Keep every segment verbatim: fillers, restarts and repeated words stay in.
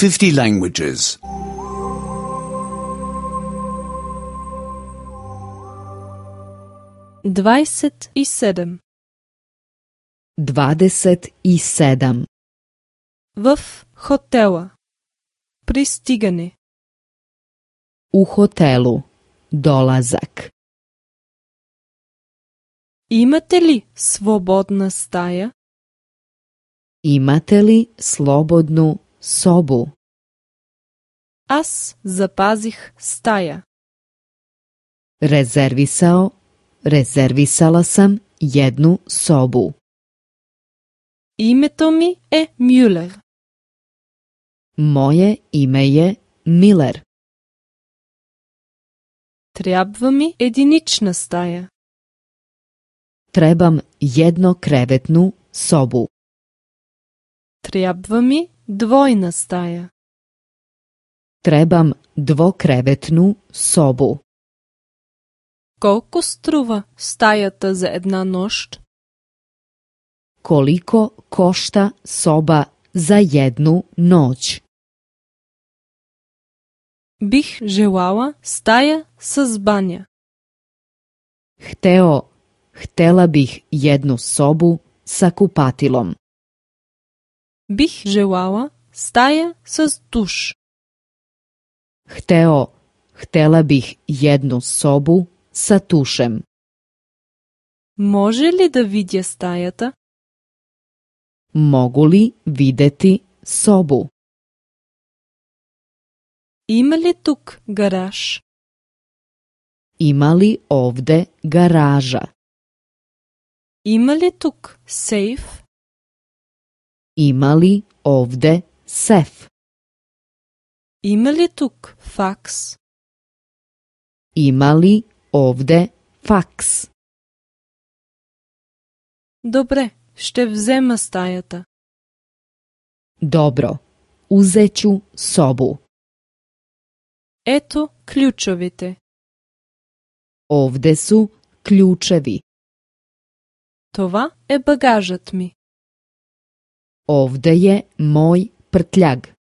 fifty languages. Dvadeset i sedam. Dvadeset i sedam. В хотела. Пристигане. U hotelu. Dolazak. Имате ли свободна стая? Imate li slobodnu sobu? Аз запазих стая. Rezervisao, rezervisala sam jednu sobu. Името ми е Мюлер. Moje ime je Miller. Трябва ми единична стая. Trebam jednokrevetnu sobu. Трябва ми двойна стая. Trebam dvokrevetnu sobu. Колко струва стаята за една нощ? Koliko košta soba za jednu noć? Бих желала стая с баня. Hteo, htela bih jednu sobu sa kupatilom. Бих желала стая с душ. Hteo, htela bih jednu sobu sa tušem. Може ли да видя стаята? Mogu li videti sobu? Има ли тук гараж? Ima li ovde garaža? Има ли тук сейф? Ima li ovde sef? Има ли тук факс? Ima li ovde faks? Добре, ще взема стаята. Dobro, uzeću sobu. Ето ключовете. Ovde su ključevi. Това е багажът ми. Ovde je moj prtljag.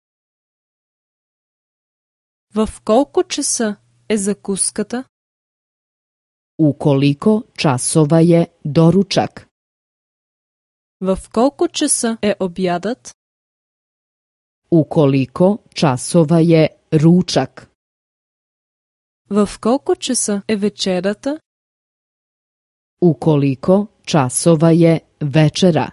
В колко часа е закуската? U koliko časova je doručak? В колко часа е обядът? U koliko časova je ručak? В колко часа е вечерата? U koliko časova je večera?